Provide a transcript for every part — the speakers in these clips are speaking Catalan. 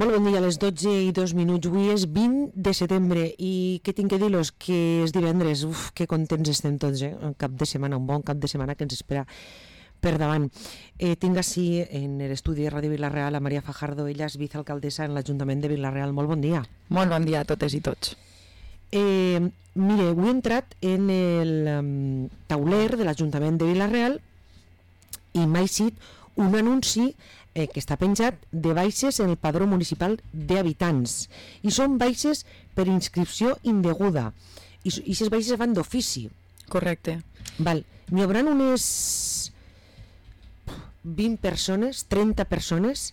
Molt bon dia, a les 12:02. Avui és 20 de setembre i què tinc que dir-los? Que és divendres. Uf, que contents estem tots, Un cap de setmana, un bon cap de setmana que ens espera per davant. Tinc així en l'estudi de Ràdio Vila-real a Maria Fajardo. Ella és vicealcaldessa en l'Ajuntament de Vila-real. Molt bon dia. Molt bon dia a totes i tots. Mire, avui he entrat en el tauler de l'Ajuntament de Vila-real i m'ha eixit un anunci que està penjat de baixes en el padró municipal d'habitants, i són baixes per inscripció indeguda, i aquestes baixes van d'ofici. Correcte. N'hi haurà unes 20 persones, 30 persones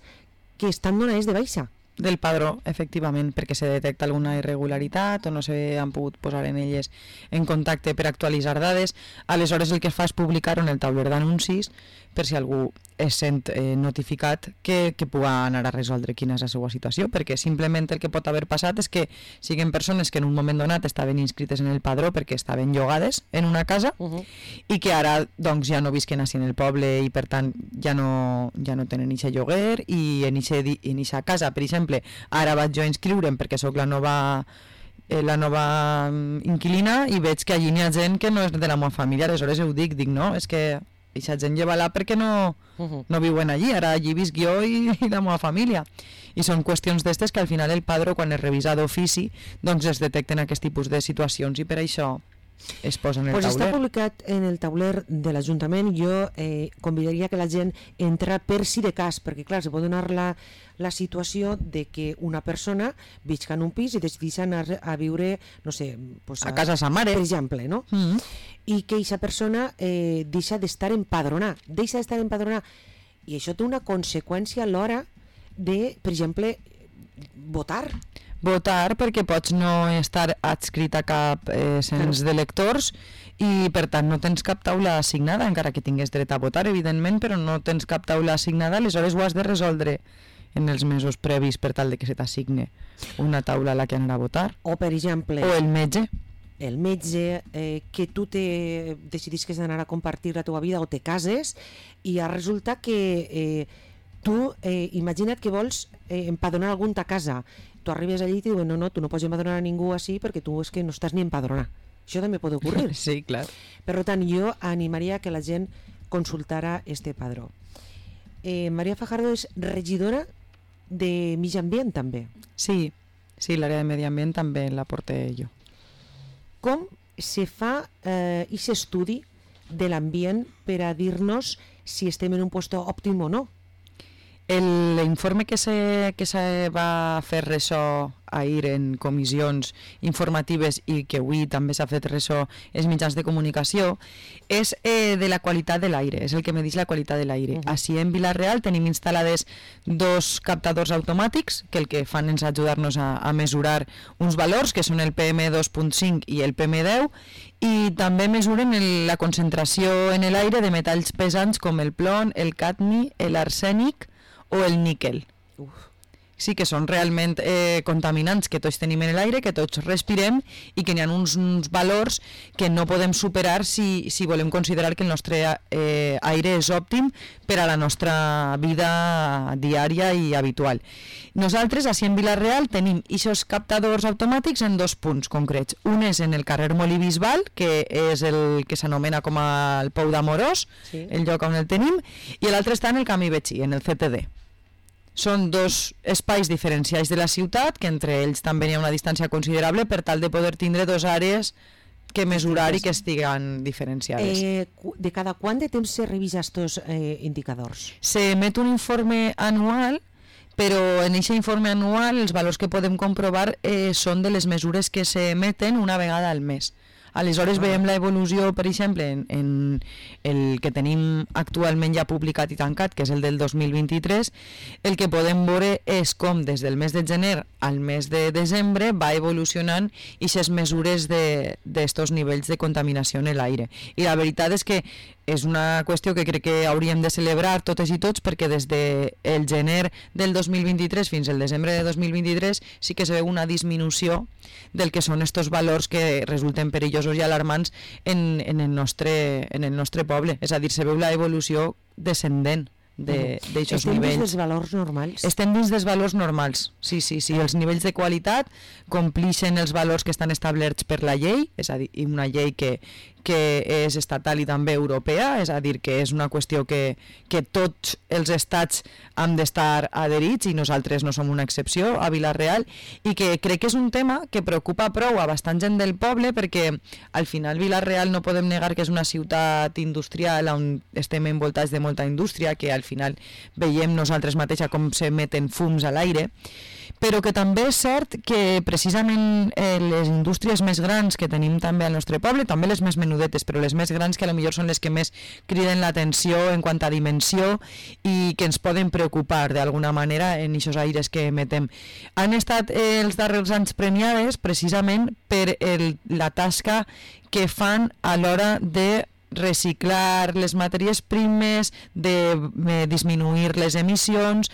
que estan donades de baixa del padró, efectivament, perquè se detecta alguna irregularitat o no s'han pogut posar en elles en contacte per actualitzar dades. Aleshores el que es fa és publicar-ho en el tauler d'anuncis per si algú es sent notificat que puga anar a resoldre quina és la seva situació, perquè simplement el que pot haver passat és que siguin persones que en un moment donat estaven inscrites en el padró perquè estaven llogades en una casa i que ara doncs, ja no visquen així en el poble i per tant ja no tenen eixe lloguer, i en eixa casa, per exemple, ara vaig jo a inscriure'm perquè sóc la nova inquilina i veig que allí n'hi ha gent que no és de la meva família. Aleshores ho dic no, és que aquesta gent lleva-la perquè no viuen allí, ara allí visc jo i la meva família, i són qüestions d'estes que al final el padró, quan es revisa d'ofici, doncs es detecten aquest tipus de situacions i per això es posa en el tauler. Està publicat en el tauler de l'Ajuntament. Jo convidaria que la gent entra per si de cas, perquè clar, se pot donar la situació de que una persona visca en un pis i decideix anar a viure, no sé, pues a casa sa mare, per exemple, no? I que aquesta persona deixa d'estar empadronada, i això té una conseqüència a l'hora de, per exemple, votar perquè pots no estar adscrit a cap cens d'electors i per tant no tens cap taula assignada, encara que tingués dret a votar, evidentment, però no tens cap taula assignada. Aleshores ho has de resoldre en els mesos previs per tal de que se t'assigne una taula a la que anar a votar. O, per exemple, o el metge, que tu decidis que has d'anar a compartir la teva vida o te cases i resulta que tu, imagina't que vols empadronar algun a casa. Tu arribes allí i et diuen no, tu no pots empadronar a ningú així perquè tu és que no estàs ni empadronar. Això també pot ocorrir. Sí, clar. Per tant, jo animaria que la gent consultara este padró. Maria Fajardo és regidora de Medi Ambient també. Sí, l'àrea de Medi Ambient també la porté jo. Com se fa aquest estudi de l'ambient per a dir-nos si estem en un lloc òptim o no? L'informe que se va fer ressò ahir en comissions informatives i que avui també s'ha fet ressò als mitjans de comunicació és de la qualitat de l'aire, és el que medeix la qualitat de l'aire. Així en Vila-real tenim instal·lades 2 captadors automàtics que el que fan és ajudar-nos a mesurar uns valors que són el PM2.5 i el PM10, i també mesuren la concentració en l'aire de metalls pesants com el plom, el cadmi, l'arsènic o el níquel. Sí que són realment contaminants que tots tenim en l'aire, que tots respirem i que n'hi ha uns valors que no podem superar si volem considerar que el nostre aire és òptim per a la nostra vida diària i habitual. Nosaltres, així en Vila-real, tenim aquests captadors automàtics en 2 punts concrets. Un és en el carrer Molí Bisbal, que és el que s'anomena com el Pou d'Amorós, el lloc on el tenim, i l'altre està en el Camí Betxí, en el CTD. Són 2 espais diferencials de la ciutat, que entre ells també hi ha una distància considerable per tal de poder tindre 2 àrees que mesurar i que estiguen diferenciades. De cada quant de temps se revisa estos indicadors? Se emet un informe anual, però en aquest informe anual els valors que podem comprovar són de les mesures que s'emeten una vegada al mes. Aleshores veiem l'evolució, per exemple, en el que tenim actualment ja publicat i tancat, que és el del 2023, el que podem veure és com des del mes de gener al mes de desembre va evolucionant aquestes mesures d'estos nivells de contaminació en l'aire. I la veritat és que és una qüestió que crec que hauríem de celebrar totes i tots, perquè des del gener del 2023 fins al desembre de 2023 sí que se veu una disminució del que són estos valors que resulten perillosos i alarmants en el nostre poble. És a dir, se veu la evolució descendent d'aixòs nivells. Estem dins nivells. dels valors normals? Estem dins dels valors normals, sí. Els nivells de qualitat complixen els valors que estan establerts per la llei, és a dir, una llei que és estatal i també europea, és a dir, que és una qüestió que tots els estats han d'estar adherits i nosaltres no som una excepció a Vila-real, i que crec que és un tema que preocupa prou a bastant gent del poble, perquè al final Vila-real no podem negar que és una ciutat industrial on estem envoltats de molta indústria, que al final veiem nosaltres mateixa com s'emeten fums a l'aire, però que també és cert que precisament les indústries més grans que tenim també al nostre poble, també les més menudetes, però les més grans que potser són les que més criden l'atenció en quant a dimensió i que ens poden preocupar d'alguna manera en aquests aires que emetem. Han estat els darrers anys premiades precisament per la tasca que fan a l'hora de reciclar les matèries primes, de disminuir les emissions,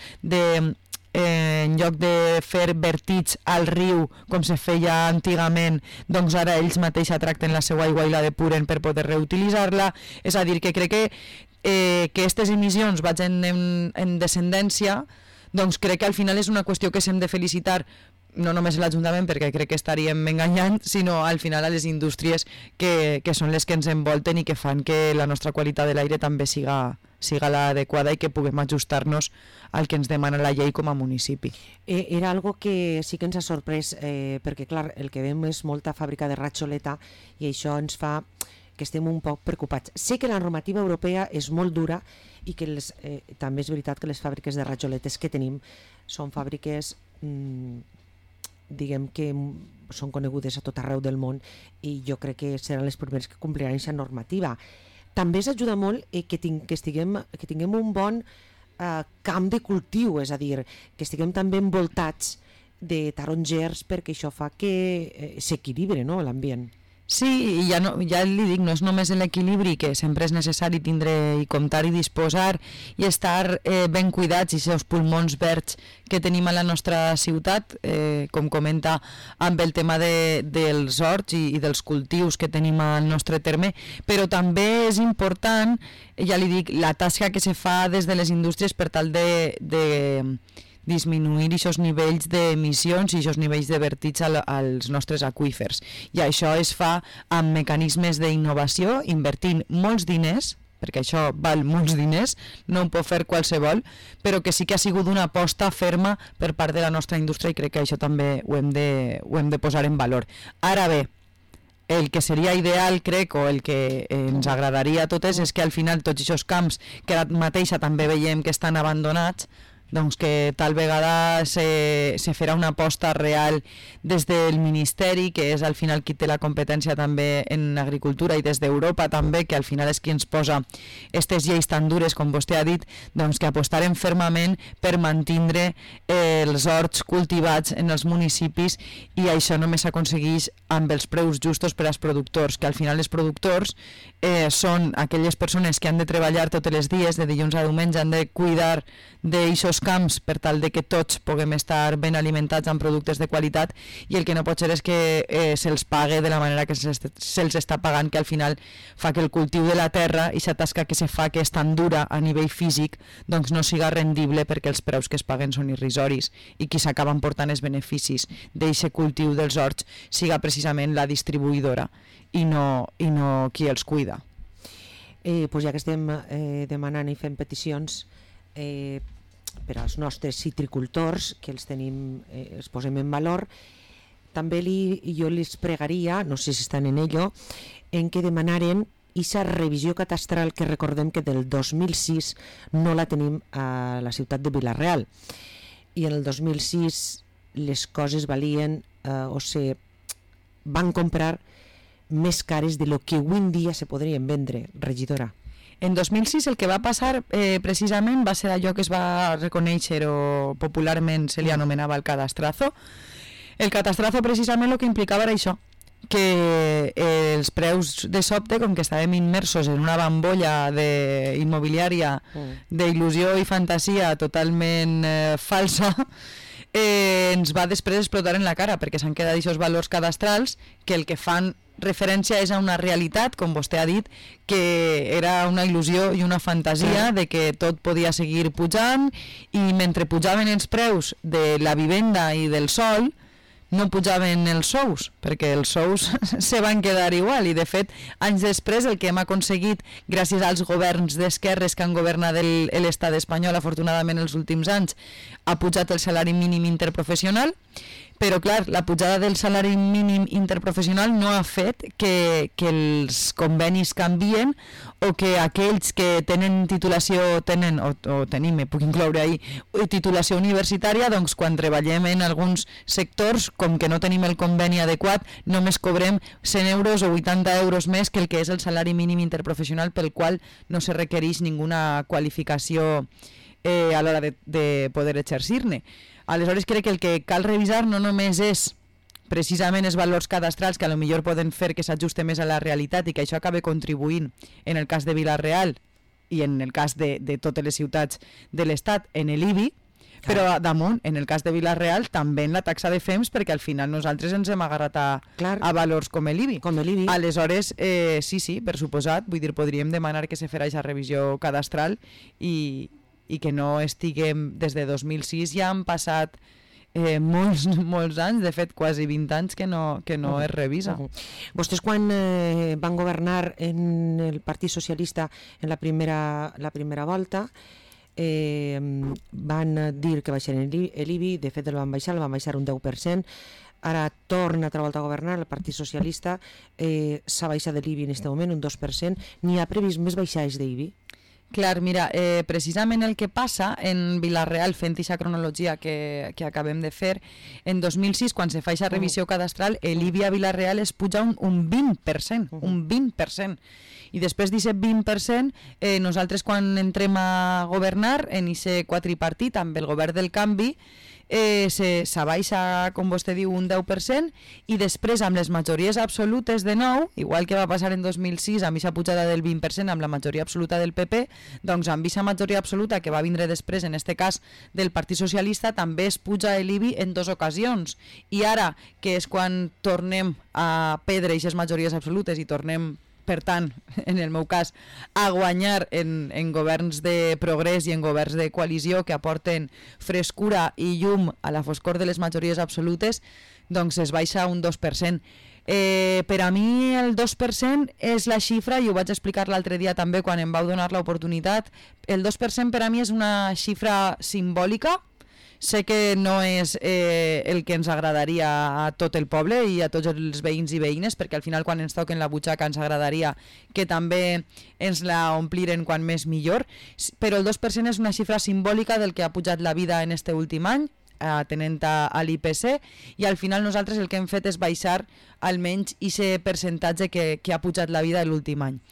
en lloc de fer vertits al riu com se feia antigament, doncs ara ells mateixos tracten la seva aigua i la depuren per poder reutilitzar-la. És a dir, que crec que aquestes emissions vagin en descendència, doncs crec que al final és una qüestió que s'hem de felicitar no només l'Ajuntament, perquè crec que estaríem enganyant, sinó al final a les indústries que són les que ens envolten i que fan que la nostra qualitat de l'aire també siga l'adequada i que puguem ajustar-nos al que ens demana la llei com a municipi. Era algo que sí que ens ha sorprès, perquè clar, el que veiem és molta fàbrica de ratxoleta i això ens fa que estem un poc preocupats. Sé que la normativa europea és molt dura i que també és veritat que les fàbriques de ratxoletes que tenim són fàbriques diguem que són conegudes a tot arreu del món i jo crec que seran les primeres que compliran aquesta normativa. També ens ajuda molt que tinguem un bon camp de cultiu, és a dir, que estiguem també envoltats de tarongers perquè això fa que s'equilibri, no, l'ambient. Sí, i ja li dic, no és només l'equilibri, que sempre és necessari tindre i comptar i disposar i estar ben cuidats i els pulmons verds que tenim a la nostra ciutat, com comenta amb el tema dels horts i dels cultius que tenim al nostre terme, però també és important, ja li dic, la tasca que se fa des de les indústries per tal de disminuir aquests nivells d'emissions i aquests nivells de vertits als nostres aqüífers. I això es fa amb mecanismes d'innovació, invertint molts diners, perquè això val molts diners, no ho pot fer qualsevol, però que sí que ha sigut una aposta ferma per part de la nostra indústria i crec que això també ho hem de posar en valor. Ara bé, el que seria ideal, crec, o el que ens agradaria a totes és que al final tots aquests camps que ara mateixa també veiem que estan abandonats, doncs que tal vegada se farà una aposta real des del Ministeri, que és al final qui té la competència també en agricultura, i des d'Europa també, que al final és qui ens posa aquestes lleis tan dures, com vostè ha dit, doncs que apostarem fermament per mantindre els horts cultivats en els municipis, i això només s'aconsegueix amb els preus justos per als productors, que al final els productors són aquelles persones que han de treballar tots els dies, de dilluns a diumenge, han de cuidar d'aixòs camps per tal de que tots puguem estar ben alimentats amb productes de qualitat, i el que no pot ser és que se'ls pague de la manera que se'ls està pagant, que al final fa que el cultiu de la terra i aquesta tasca que se fa, que és tan dura a nivell físic, doncs no siga rendible, perquè els preus que es paguen són irrisoris i qui s'acaben portant els beneficis d'aquest cultiu dels horts siga precisament la distribuïdora i no qui els cuida. Pues ja que estem demanant i fent peticions per als nostres citricultors, que els posem en valor, també jo els pregaria, no sé si estan en ello, en que demanaren aquesta revisió catastral, que recordem que del 2006 no la tenim a la ciutat de Vila-real, i en el 2006 les coses valien o se van comprar més cares de lo que avui en dia se podrien vendre, regidora. En 2006 el que va passar precisament va ser allò que es va reconèixer, o popularment se li anomenava el cadastrazo. El cadastrazo precisament el que implicava era això, que els preus de sobte, com que estàvem immersos en una bambolla immobiliària d'il·lusió i fantasia totalment falsa, ens va després explotar en la cara, perquè s'han quedat aquests valors cadastrals que el que fan referència és a una realitat, com vostè ha dit, que era una il·lusió i una fantasia de que tot podia seguir pujant, i mentre pujaven els preus de la vivenda i del sol, no pujaven els sous, perquè els sous se van quedar igual, i de fet anys després el que hem aconseguit gràcies als governs d'esquerres que han governat l'estat espanyol afortunadament els últims anys, ha pujat el salari mínim interprofessional, però clar, la pujada del salari mínim interprofessional no ha fet que els convenis canvien, o que aquells que tenen titulació, o tenim, puc incloure ahir, titulació universitària, doncs quan treballem en alguns sectors, com que no tenim el conveni adequat, només cobrem 100 euros o 80 euros més que el que és el salari mínim interprofessional, pel qual no se requereix ninguna qualificació a l'hora de poder exercir-ne. Aleshores crec que el que cal revisar no només és precisament els valors cadastrals, que a lo millor poden fer que s'ajuste més a la realitat i que això acabe contribuint en el cas de Vila-real i en el cas de totes les ciutats de l'Estat en l'IBI, però damunt, en el cas de Vila-real, també en la taxa de FEMS, perquè al final nosaltres ens hem agarrat a valors com l'IBI. Aleshores, sí, per suposat, vull dir, podríem demanar que se farà aquesta revisió cadastral i que no estiguem des de 2006, ja han passat molts anys, de fet quasi 20 anys que no es revisa. Vostès quan van governar en el Partit Socialista en la primera volta van dir que baixaren l'IBI, de fet el van baixar un 10%, ara torna altra volta a governar el Partit Socialista, s'ha baixat de l'IBI en aquest moment un 2%, n'hi ha previst més baixades d'IBI? Clar, mira, precisament el que passa en Vila-real, fent aquesta cronologia que acabem de fer, en 2006, quan se fa aquesta revisió cadastral, l'IBI a Vila-real es puja un 20%, un 20%. I després d'aquest 20%, nosaltres quan entrem a governar, en aquest quadripartit, amb el govern del canvi, s'abaixa, com vostè diu, un 10%, i després amb les majories absolutes de nou, igual que va passar en 2006 amb aquesta pujada del 20% amb la majoria absoluta del PP, doncs amb aquesta majoria absoluta que va vindre després, en este cas del Partit Socialista, també es puja l'IBI en 2 ocasions, i ara que és quan tornem a perdre aquestes majories absolutes i tornem, per tant, en el meu cas, a guanyar en governs de progrés i en governs de coalició que aporten frescura i llum a la foscor de les majories absolutes, doncs es baixa un 2%. Per a mi el 2% és la xifra, i ho vaig explicar l'altre dia també quan em vau donar l'oportunitat, el 2% per a mi és una xifra simbòlica. Sé que no és el que ens agradaria a tot el poble i a tots els veïns i veïnes, perquè al final quan ens toquen la butxaca ens agradaria que també ens la ompliren quan més millor, però el 2% és una xifra simbòlica del que ha pujat la vida en este últim any, atenent a l'IPC, i al final nosaltres el que hem fet és baixar almenys aquest percentatge que ha pujat la vida l'últim any.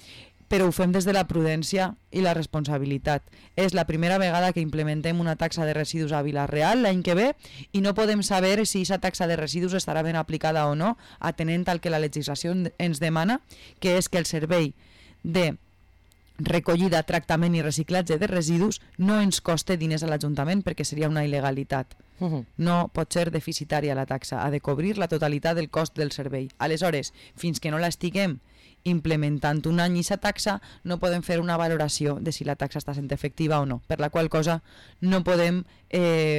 Però ho fem des de la prudència i la responsabilitat. És la primera vegada que implementem una taxa de residus a Vila-real l'any que ve, i no podem saber si aquesta taxa de residus estarà ben aplicada o no, atenent al que la legislació ens demana, que és que el servei de recollida, tractament i reciclatge de residus no ens coste diners a l'Ajuntament, perquè seria una il·legalitat. No pot ser deficitària la taxa, ha de cobrir la totalitat del cost del servei. Aleshores, fins que no l'estiguem implementant un any aquesta taxa, no podem fer una valoració de si la taxa està sent efectiva o no, per la qual cosa no podem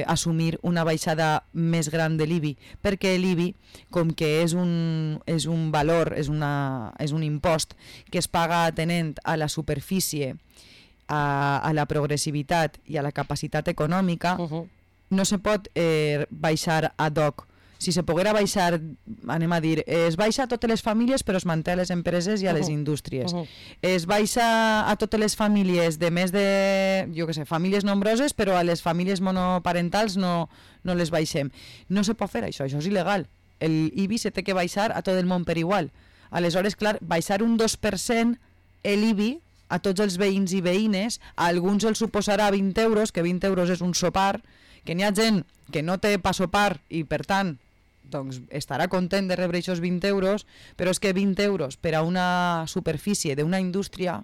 assumir una baixada més gran de l'IBI, perquè l'IBI, com que és un valor, és un impost que es paga atenent a la superfície, a la progressivitat i a la capacitat econòmica, no se pot baixar ad hoc. Si se poguera baixar, anem a dir, es baixa a totes les famílies però es manté a les empreses i a les indústries. Es baixa a totes les famílies de més de, jo què sé, famílies nombroses, però a les famílies monoparentals no les baixem. No se pot fer això és il·legal. El IBI se té que baixar a tot el món per igual. Aleshores, clar, baixar un 2% l'IBI a tots els veïns i veïnes, a alguns els suposarà 20 euros, que 20 euros és un sopar, que n'hi ha gent que no té pa sopar i per tant doncs estarà content de rebre aquests 20 euros, però és que 20 euros per a una superfície d'una indústria,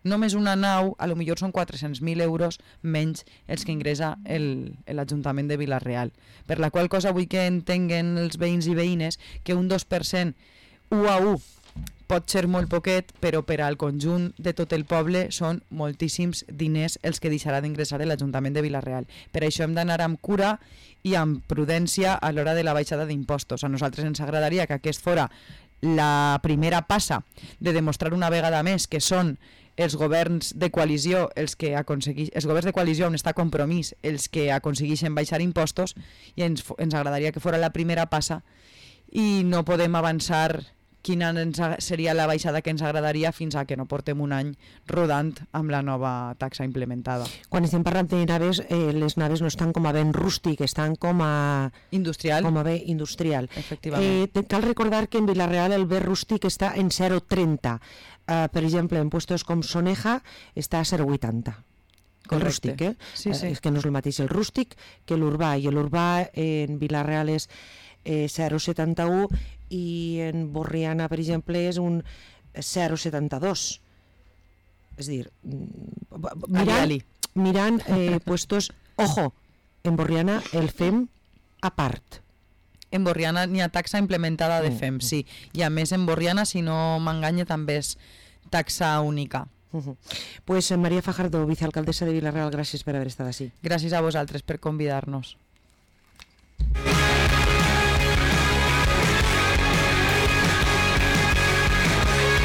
només una nau, a lo millor són 400.000 euros menys els que ingressa l'Ajuntament de Vila-real. Per la qual cosa vull que entenguen els veïns i veïnes que un 2% 1 a 1 pot ser molt poquet, però per al conjunt de tot el poble són moltíssims diners els que deixarà d'ingressar l'Ajuntament de Vila-real. Per això hem d'anar amb cura i amb prudència a l'hora de la baixada d'impostos. A nosaltres ens agradaria que aquest fora la primera passa de demostrar una vegada més que són els governs de coalició els governs de coalició on està Compromís els que aconsegueixen baixar impostos, i ens agradaria que fora la primera passa, i no podem avançar quina seria la baixada que ens agradaria fins a que no portem un any rodant amb la nova taxa implementada. Quan estem parlant de naves, les naves no estan com a ben rústic, estan com a... Industrial. Com a bé industrial. Efectivament. Cal recordar que en Vila-real el bé rústic està en 0,30. Per exemple, en puestos com Soneja està a 0,80. El rústic, Sí. És que no és el mateix el rústic que l'urbà, i l'urbà en Vila-real és 0,71 i en Borriana, per exemple, és un 0,72. És a dir, mirant puestos... Ojo, en Borriana el fem a part. En Borriana n'hi ha taxa implementada de FEM, sí. I a més en Borriana, si no m'enganya, també és taxa única. Pues María Fajardo, vicealcaldessa de Vila-real, gràcies per haver estat així. Gràcies a vosaltres per convidar-nos.